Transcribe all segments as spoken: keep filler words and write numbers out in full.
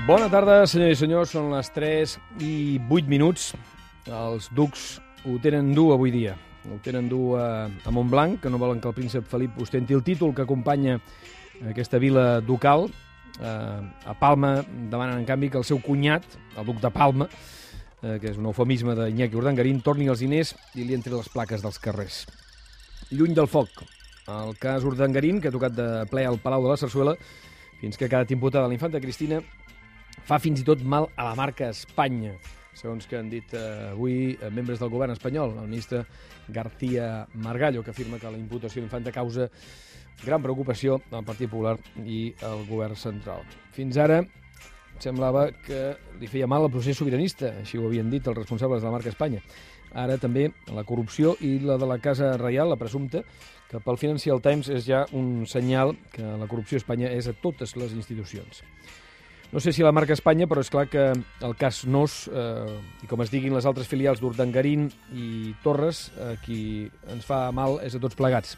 Bona tarda, senyors i senyors. Són les tres i vuit minuts. Els ducs ho tenen dur avui dia. Ho tenen dur a, a Montblanc, que no volen que el príncep Felip ostenti el títol que acompanya aquesta vila ducal. A Palma demanen, en canvi, que el seu cunyat, el duc de Palma, que és un eufemisme d'Iñaki Urdangarín, torni els diners i li entri les plaques dels carrers. Lluny del foc. El cas Urdangarín, que ha tocat de ple al Palau de la Sarsuela, fins que ha quedat imputada la infanta Cristina, fa fins i tot mal a la marca Espanya, segons que han dit eh, avui eh, membres del govern espanyol, el ministre García Margallo, que afirma que la imputació de l'infanta causa gran preocupació al Partit Popular i al govern central. Fins ara semblava que li feia mal el procés sobiranista, així ho havien dit els responsables de la marca Espanya. Ara també la corrupció i la de la Casa Reial, la presumpta, que pel Financial Times és ja un senyal que la corrupció a Espanya és a totes les institucions. No sé si la marca Espanya, però és clar que el cas Nos, eh, i com es diguin les altres filials d'Urdangarín i Torres, eh, qui ens fa mal és a tots plegats.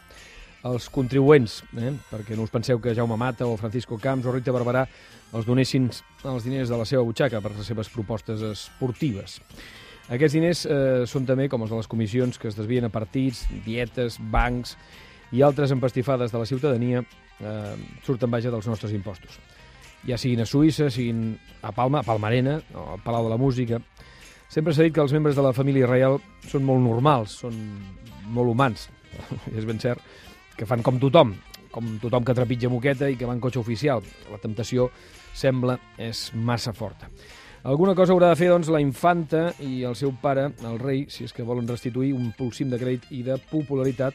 Els contribuents, eh, perquè no us penseu que Jaume Mata o Francisco Camps o Rita Barberà els donessin els diners de la seva butxaca per les seves propostes esportives. Aquests diners eh, són també com els de les comissions que es desvien a partits, dietes, bancs i altres empastifades de la ciutadania, eh, surten vaja dels nostres impostos. Ja siguin a Suïssa, siguin a Palma, a Palmarena, o al Palau de la Música. Sempre s'ha dit que els membres de la família reial són molt normals, són molt humans. És ben cert que fan com tothom, com tothom que trepitja moqueta i que va en cotxe oficial. La temptació sembla és massa forta. Alguna cosa haurà de fer, doncs, la infanta i el seu pare, el rei, si és que volen restituir un pulsim de crèdit i de popularitat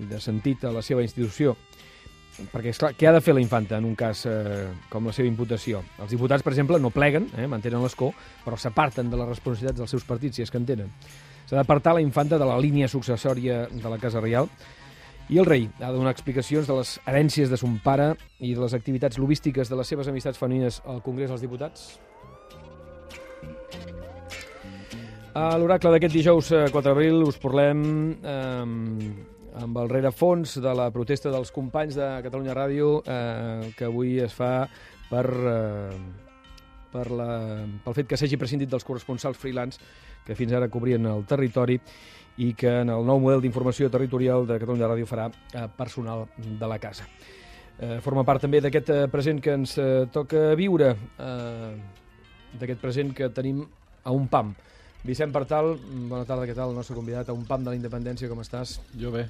i de sentit a la seva institució. Perquè, esclar, què ha de fer la infanta en un cas eh, com la seva imputació? Els diputats, per exemple, no pleguen, eh, mantenen l'escó, però s'aparten de les responsabilitats dels seus partits, si és que en tenen. S'ha d'apartar la infanta de la línia successòria de la Casa Reial i el rei ha de donar explicacions de les herències de son pare i de les activitats lobístiques de les seves amistats femenines al Congrés dels Diputats. A l'oracle d'aquest dijous quatre d'abril us parlem eh, amb el rerefons de la protesta dels companys de Catalunya Ràdio eh, que avui es fa per, eh, per la, pel fet que s'hagi prescindit dels corresponsals freelance que fins ara cobrien el territori i que en el nou model d'informació territorial de Catalunya Ràdio farà eh, personal de la casa. Eh, forma part també d'aquest eh, present que ens eh, toca viure, eh, d'aquest present que tenim a un pam. Vicent Partal, bona tarda, què tal? El nostre convidat a un pam de la independència, com estàs? Jo bé.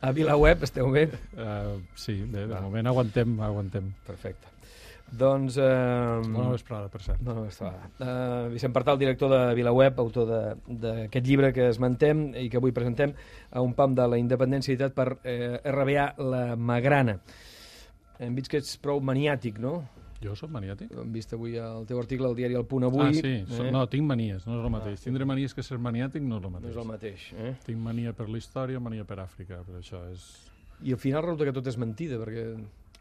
A VilaWeb esteu bé? Uh, sí, bé, de moment aguantem, aguantem. Perfecte. Doncs... Eh... Bona vesprada, per cert. Bona vesprada. Uh, Vicent Partal, director de VilaWeb, autor d'aquest llibre que esmentem i que avui presentem a un pam de la independència editat per eh, R B A La Magrana. Hem vist que ets prou maniàtic, no? Jo soc maniàtic? Hem vist avui el teu article al diari El Punt Avui. Ah, sí. Eh? No, tinc manies, no és el mateix. Ah, Tindre manies que ser maniàtic no és el mateix. No és el mateix, eh? Tinc mania per la història, mania per Àfrica, per això és... I al final resulta que tot és mentida, perquè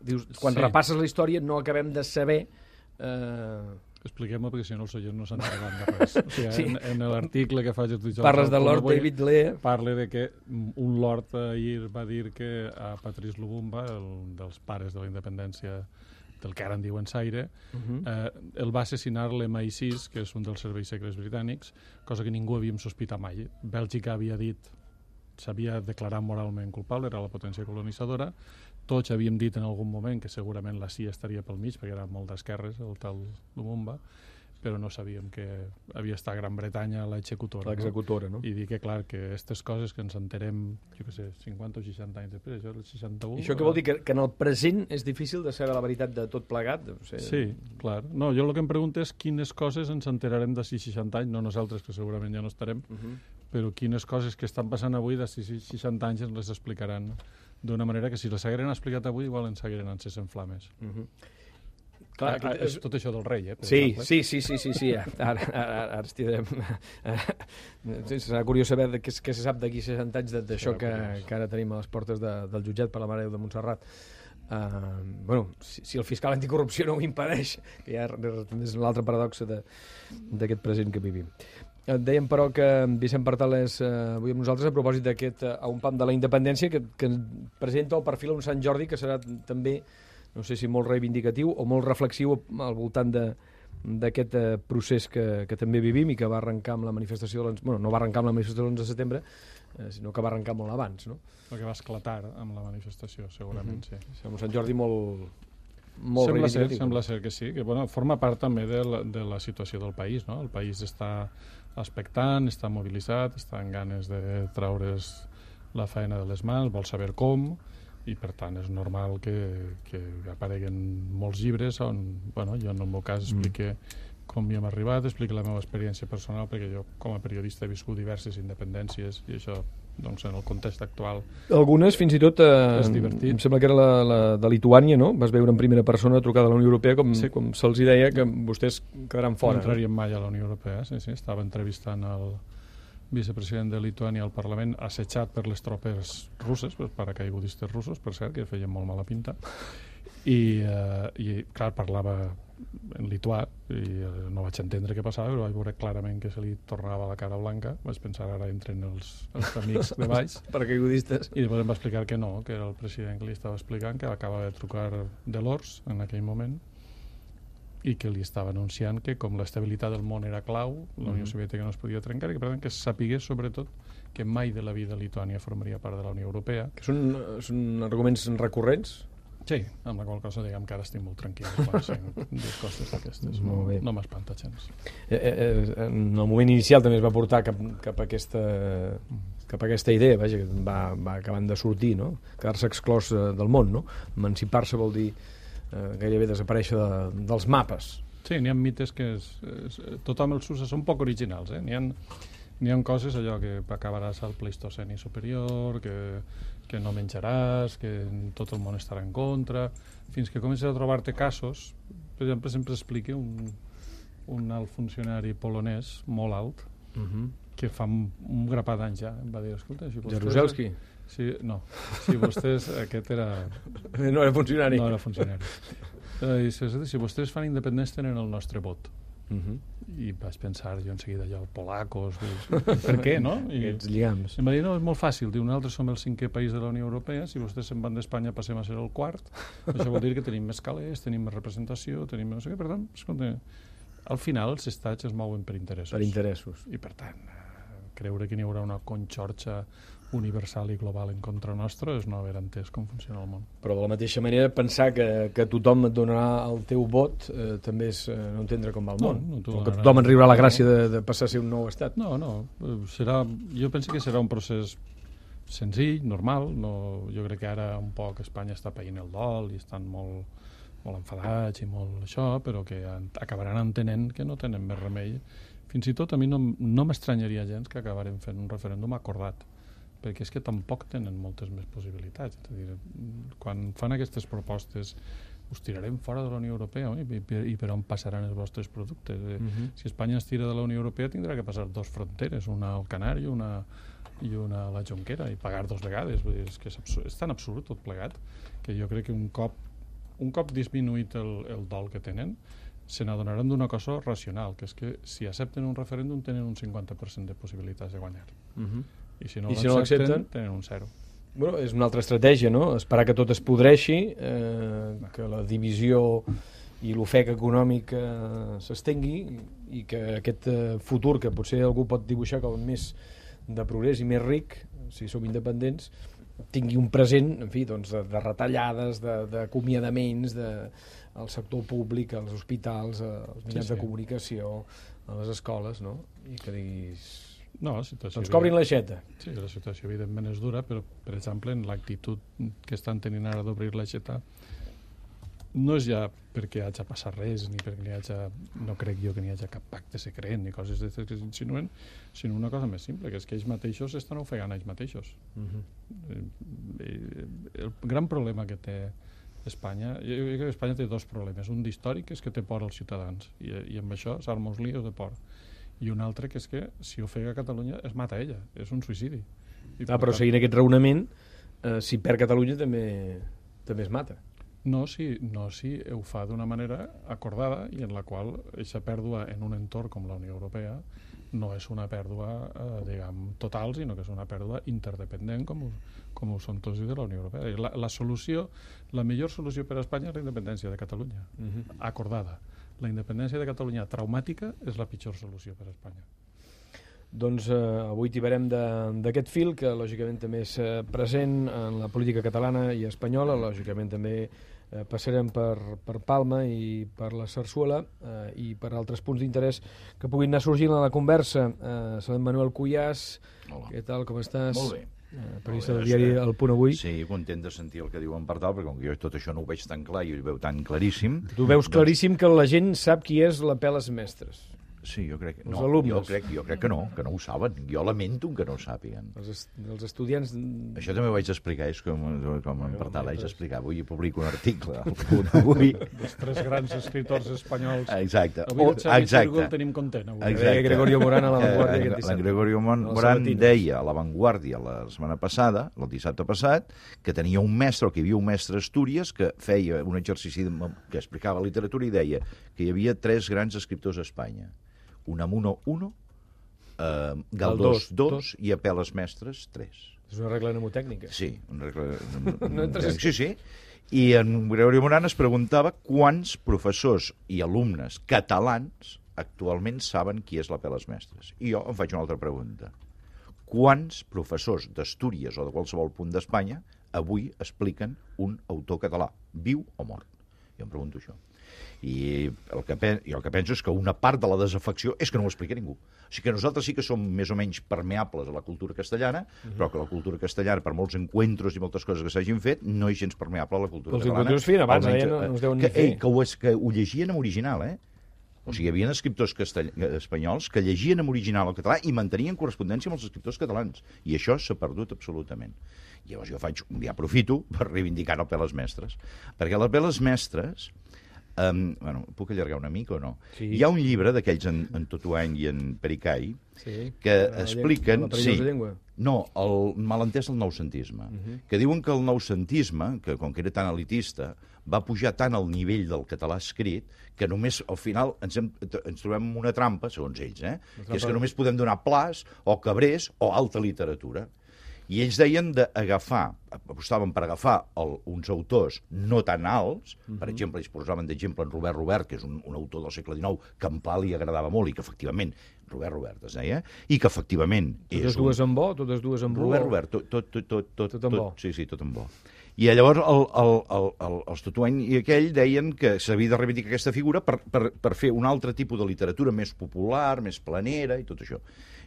dius, quan sí. repasses la història no acabem de saber... Eh... Expliquem-ho, perquè si no els oients no s'entenen de res. O sigui, sí. En, en l'article que faig a dijous... Parles de Lord David Lea. Parla de que un lord ahir va dir que a Patrice Lumumba, el dels pares de la independència del que ara en diuen Zaire, uh-huh. eh, el va assassinar l'M I sis, que és un dels serveis secrets britànics, cosa que ningú havíem sospitat mai. Bèlgica havia dit, s'havia declarat moralment culpable, era la potència colonitzadora, tots havíem dit en algun moment que segurament la C I A estaria pel mig, perquè era molt d'esquerres, el tal Lumumba, però no sabíem que havia estat a Gran Bretanya l'executora. L'executora, no? I dir que, clar, que aquestes coses que ens enterem, jo què sé, cinquanta o seixanta anys després, això, el seixanta-u... I això què vol dir? Que, que en el present és difícil de saber la veritat de tot plegat? O sigui... Sí, clar. No, jo el que em pregunto és quines coses ens enterarem d'ací seixanta anys, no nosaltres, que segurament ja no estarem, uh-huh. però quines coses que estan passant avui d'ací seixanta anys ens les explicaran d'una manera que si les hagueren explicat avui igual ens hagueren encès en flames. Uh-huh. Clar, ah, és tot això del rei, eh? Sí, sí, sí, sí, sí, sí, ara, ara, ara estirem. Sí, serà curiós saber què se sap d'aquí seixanta anys d'això que, que ara tenim a les portes de, del jutjat per la Mare de Montserrat. Uh, bueno, si, si el fiscal anticorrupció no ho impedeix, que ja és l'altra paradoxa d'aquest present que vivim. Dèiem, però, que Vicent Partal és eh, avui amb nosaltres a propòsit d'aquest uh, a un pam de la independència que, que presenta el perfil a un Sant Jordi que serà també no sé si molt reivindicatiu o molt reflexiu al voltant de d'aquest eh, procés que, que també vivim i que va arrencar amb la manifestació de l'onze... Bueno, no va arrencar amb la manifestació de l'onze de setembre, eh, sinó que va arrencar molt abans, no? El que va esclatar amb la manifestació, segurament, uh-huh. sí. Sembla Sant Jordi molt, molt sembla ser, reivindicatiu. sembla ser que sí, que bueno, forma part també de la, de la situació del país, no? El país està expectant, està mobilitzat, està amb ganes de traure's la feina de les mans, vol saber com, i per tant és normal que, que apareguen molts llibres on, bueno, jo en el meu cas explique mm. com hi hem arribat, explique la meva experiència personal, perquè jo com a periodista he viscut diverses independències i això doncs, en el context actual algunes fins i tot eh, és divertit. Em sembla que era la, la de Lituània, no? Vas veure en primera persona trucada a la Unió Europea com, sí. com se'ls deia que vostès quedaran fora. No entraríem mai a la Unió Europea, sí, sí, estava entrevistant el vicepresident de Lituània al Parlament, assetjat per les tropes russes, per paracaigudistes russos, per cert, que feien molt mala pinta, i, eh, i clar, parlava en lituà, i eh, no vaig entendre què passava, però vaig veure clarament que se li tornava la cara blanca, vaig pensar ara entren els, els amics de baix, paracaigudistes, i després em va explicar que no, que era el president que li estava explicant, que acaba de trucar de l'O R S S en aquell moment, i que li estava anunciant que com l'estabilitat del món era clau, la Unió Soviètica no es podia trencar i que, per tant, que sapigués sobretot que mai de la vida Lituània formaria part de la Unió Europea. Que són, són arguments recurrents? Sí, amb la qual cosa diguem que ara estic molt tranquil quan sent dues coses d'aquestes. No, no m'espanta gens. Eh, eh, en el moment inicial també es va portar cap, cap, a, aquesta, cap a aquesta idea, vaja, que va, va acabant de sortir, no? Quedar-se exclòs del món, no? Emancipar-se vol dir Eh, gairebé desaparèixer de, dels mapes. Sí, n'hi ha mites que és, és, tothom els usa, són poc originals, eh? N'hi ha, n'hi ha coses allò que acabaràs al Pleistoceni superior, que, que no menjaràs, que tot el món estarà en contra, fins que comences a trobar-te casos. Per exemple, sempre explica un, un alt funcionari polonès, molt alt, uh-huh. que fa un, un grapat d'anys ja, em va dir, escolta... Si Jaruzelski? Sí, no, si vostès, aquest era... No era funcionari. No era funcionari. Eh, si, si vostès fan independents tenen el nostre vot. Uh-huh. I vaig pensar jo en seguida allò, polacos, per què, no? I aquests lligams. Em va dir, no, és molt fàcil, diu, nosaltres som el cinquè país de la Unió Europea, si vostès se'n van d'Espanya passem a ser el quart, això vol dir que tenim més calés, tenim més representació, tenim més... Per tant, escolta, al final els estats es mouen per interessos. Per interessos. I per tant, creure que n'hi haurà una conxorxa universal i global en contra nostra és no haver entès com funciona el món. Però de la mateixa manera pensar que, que tothom et donarà el teu vot eh, també és eh, no entendre com va el món. No, no o que tothom en riurà la gràcia de, de passar a ser un nou estat. No, no. Serà, jo penso que serà un procés senzill, normal. No, jo crec que ara un poc Espanya està païnt el dol i estan molt, molt enfadats i molt això, però que acabaran entenent que no tenen més remei. Fins i tot a mi no, no m'estranyaria gens que acabarem fent un referèndum acordat, perquè és que tampoc tenen moltes més possibilitats. És a dir, quan fan aquestes propostes us tirarem fora de la Unió Europea oi? I, per, i per on passaran els vostres productes. Uh-huh. Si Espanya es tira de la Unió Europea tindrà que passar dos fronteres, una al Canari una, i una a la Jonquera, i pagar dos vegades. Vull dir, és, que és, absurd, és tan absurd tot plegat que jo crec que un cop, un cop disminuït el, el dol que tenen se n'adonaran d'una cosa racional, que és que si accepten un referèndum tenen un cinquanta per cent de possibilitats de guanyar. Uh-huh. I si no l'accepten, no tenen un zero. Bueno, és una altra estratègia, no? Esperar que tot es podreixi, eh, que la divisió i l'ofec econòmic eh, s'estengui i que aquest eh, futur que potser algú pot dibuixar com més de progrés i més ric, si som independents, tingui un present, en fi, doncs, de, de retallades, d'acomiadaments, de, al sector públic, als hospitals, als mitjans sí, sí. de comunicació, a les escoles, no? I que diguis... No, la situació... Doncs cobrin l'aixeta. Sí, la situació evidentment és dura, però, per exemple, en l'actitud que estan tenint ara d'obrir l'aixeta, no és ja perquè hagi passat res, ni perquè n'hi hagi, no crec jo que n'hi hagi cap pacte secret, ni coses d'aquestes que s'insinuen, sinó una cosa més simple, que és que ells mateixos estan ofegant ells mateixos. Uh-huh. El gran problema que té Espanya, jo crec que Espanya té dos problemes. Un d'històric, que és que té por als ciutadans, i, i amb això s'arma uns lios de por. I un altre que és que si ofega Catalunya es mata ella, és un suïcidi. I ah, però tant... seguint aquest raonament, eh, si perd Catalunya també també es mata. No si, no si ho fa d'una manera acordada i en la qual aquesta pèrdua en un entorn com la Unió Europea no és una pèrdua, eh, diguem, total, sinó que és una pèrdua interdependent com ho, com ho són tots de la Unió Europea. I la, la solució, la millor solució per a Espanya és la independència de Catalunya, uh-huh. acordada. La independència de Catalunya traumàtica és la pitjor solució per a Espanya. Doncs eh, avui tibarem d'aquest fil, que lògicament també és eh, present en la política catalana i espanyola, lògicament també eh, passarem per, per Palma i per la Sarsuela eh, i per altres punts d'interès que puguin anar sorgint a la conversa. Eh, Salem Manuel Cuyàs, hola. Què tal, com estàs? Molt bé. Eh, periodista del diari El Punt Avui. Sí, content de sentir el que diuen per tal, perquè com que jo tot això no ho veig tan clar i ho veu tan claríssim... Tu veus doncs... claríssim que la gent sap qui és l'Apel·les Mestres. Sí, jo crec, els no, alumnes. jo, crec, jo crec que no, que no ho saben. Jo lamento que no ho sàpiguen. Els, est els estudiants... Això també ho vaig explicar, és com, com en per tal haig d'explicar. Avui publico un article al Punt Avui. Els tres grans escriptors espanyols. Exacte. Avui el Xavi Exacte. Círgol tenim content. Avui. Exacte. Gregorio Morán a La Vanguardia. Eh, aquest la Gregorio Morán Sabatines. deia a La Vanguardia la setmana passada, el dissabte passat, que tenia un mestre, o que hi havia un mestre a Astúries, que feia un exercici de, que explicava literatura i deia que hi havia tres grans escriptors a Espanya. Unamuno, uno, eh, Galdós, dos, i Apel·les Mestres, tres. És una regla mnemotècnica. Sí, una regla No entres... Sí, sí. I en Gregorio Morán es preguntava quants professors i alumnes catalans actualment saben qui és l'Apel·les Mestres. I jo em faig una altra pregunta. Quants professors d'Astúries o de qualsevol punt d'Espanya avui expliquen un autor català, viu o mort? Jo em pregunto això. I el que, jo el que penso és que una part de la desafecció és que no ho explica ningú. O sigui que nosaltres sí que som més o menys permeables a la cultura castellana, mm-hmm. però que la cultura castellana, per molts encuentros i moltes coses que s'hagin fet, no és gens permeable a la cultura els catalana. Els encuentros feien abans, almenys, eh, no, no es deuen que, ni fer. Ei, que, ho, que ho llegien en original, eh? O sigui, hi havia escriptors castell... espanyols que llegien en original el català i mantenien correspondència amb els escriptors catalans. I això s'ha perdut absolutament. Llavors jo faig, ja aprofito per reivindicar l'Apel·les Mestres. Perquè l'Apel·les Mestres... Um, bueno, puc allargar una mica o no? Sí. Hi ha un llibre d'aquells en, en Totuany i en Pericai sí. que la expliquen... La sí, llengua. no, el malentès del noucentisme. Uh -huh. Que diuen que el noucentisme, que com que era tan elitista, va pujar tant al nivell del català escrit que només al final ens, hem, ens trobem en una trampa, segons ells, eh? Que és que només podem donar Plàs o Cabrés o alta literatura. I ells deien d'agafar, apostaven per agafar el, uns autors no tan alts, uh-huh. per exemple, ells posaven d'exemple en Robert Robert, que és un, un autor del segle dinou que a en Pla li agradava molt i que efectivament, Robert Robert es deia, i que efectivament totes és dues un... en bo, totes dues en bo. Robert Robert, tot, tot, tot, tot, tot, tot en bo. Tot, sí, sí, tot en bo. I llavors el, el, el, el, els Totuany i aquell deien que s'havia de reivindicar aquesta figura per, per, per fer un altre tipus de literatura més popular, més planera i tot això.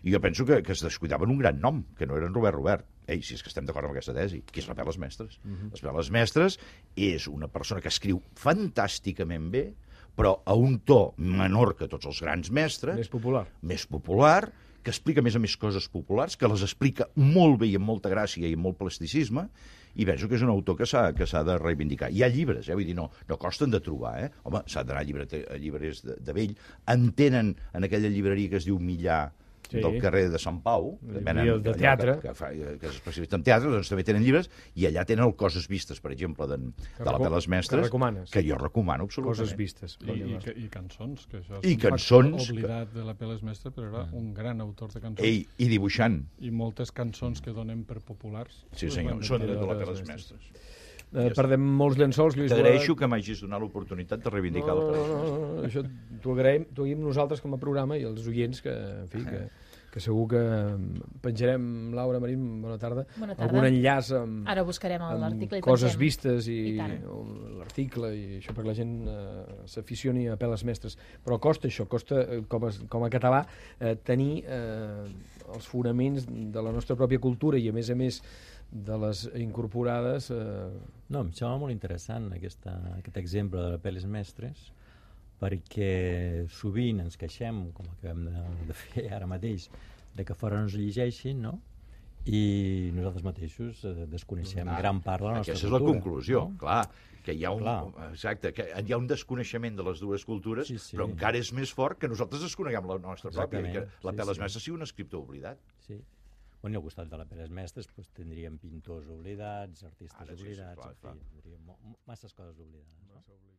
I jo penso que, que es descuidaven un gran nom, que no era en Robert Robert. Ei, si és que estem d'acord amb aquesta tesi, que és l'Apel·les Mestres. Uh-huh. L'Apel·les Mestres és una persona que escriu fantàsticament bé, però a un to menor que tots els grans mestres. Més popular. Més popular, que explica a més a més coses populars, que les explica molt bé i amb molta gràcia i amb molt plasticisme, i penso que és un autor que s'ha que s'ha de reivindicar. Hi ha llibres, eh? Vull dir, no, no costen de trobar, eh? Home, s'ha d'anar a, llibre, a llibreries de, de vell. En tenen en aquella llibreria que es diu Millà, sí. del carrer de Sant Pau, que venen, de teatre, que, que, fa, que és especialista en teatre, doncs també tenen llibres, i allà tenen el Coses Vistes, per exemple, de, de l'Apel·les Mestres, que, que jo recomano absolutament. Coses Vistes. I, i, i cançons, que això és I un cançons, oblidat de l'Apel·les Mestres, però era un gran autor de cançons. Ei, i dibuixant. I moltes cançons que donem per populars. Sí, senyor, són de l'Apel·les Mestres. Eh, perdem molts llençols, Lluís. T'agraeixo que m'hagis donat l'oportunitat de reivindicar no, l'Apel·les Mestres. No, no, no, això t'ho agraïm, t'ho agraïm nosaltres com a programa i els oients que, en fi, que, que segur que penjarem, Laura, Marín, bona tarda, bona tarda. algun enllaç amb, ara buscarem l'article i Coses pensem. Vistes i, I l'article i això perquè la gent eh, s'aficioni a Apel·les Mestres. Però costa això, costa eh, com, a, com a català eh, tenir eh, els fonaments de la nostra pròpia cultura i a més a més de les incorporades... Eh... No, em sembla molt interessant aquesta, aquest exemple de l'Apel·les Mestres, perquè sovint ens queixem, com acabem de, de fer ara mateix, de que fora no es llegeixin, no? I nosaltres mateixos eh, desconeixem ah, gran part de la nostra aquesta cultura. Aquesta és la conclusió, no? Clar, que hi ha un, clar. exacte, que hi ha un desconeixement de les dues cultures, sí, sí. però encara és més fort que nosaltres desconeguem la nostra exactament, pròpia, i que l'Apel·les sí, sí. Mestres sigui un escriptor oblidat. Sí. Bueno, i al costat de la Peles Mestres doncs, tindríem pintors oblidats, artistes Ara sí, sí, oblidats, clar, en fi, clar. tindríem mo- masses coses oblidades. No? Massa oblidat.